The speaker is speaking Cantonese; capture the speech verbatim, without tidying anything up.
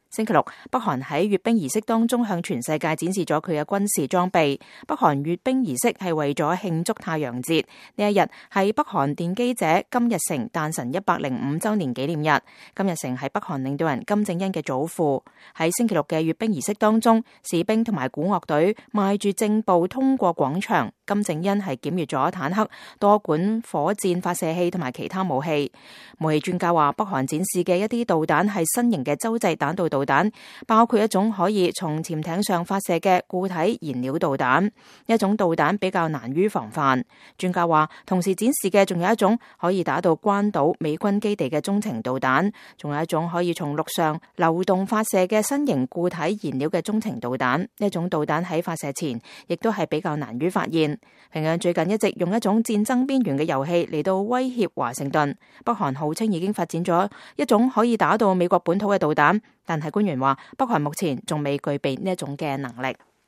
星期六，北韓喺閱兵儀式當中向全世界展示咗佢嘅軍事裝備。北韓閱兵儀式係為咗慶祝太陽節，呢一日係北韓奠基者金日成誕辰一百零五週年紀念日。金日成係北韓領導人金正恩嘅祖父。喺星期六嘅閱兵儀式當中，士兵同埋鼓樂隊邁住正步通過廣場。金正恩係檢閱咗坦克、多管火箭發射器同埋其他武器。武器專家話，北韓展示嘅一啲導彈係新型嘅洲際彈道導彈，包括一種可以從潛艇上發射嘅固體燃料導彈。一種導彈比較難於防範。專家話，同時展示嘅仲有一種可以打到關島美軍基地嘅中程導彈，仲有一種可以從陸上流動發射嘅新型固體燃料嘅中程導彈。呢種導彈喺發射前亦都係比較難於發現。平壤最近一直用一種戰爭邊緣嘅遊戲嚟到威脅華盛頓。北韓號稱已經發展咗一種可以打到美國本土嘅導彈，但係官員話北韓目前仲未具備呢一種嘅能力。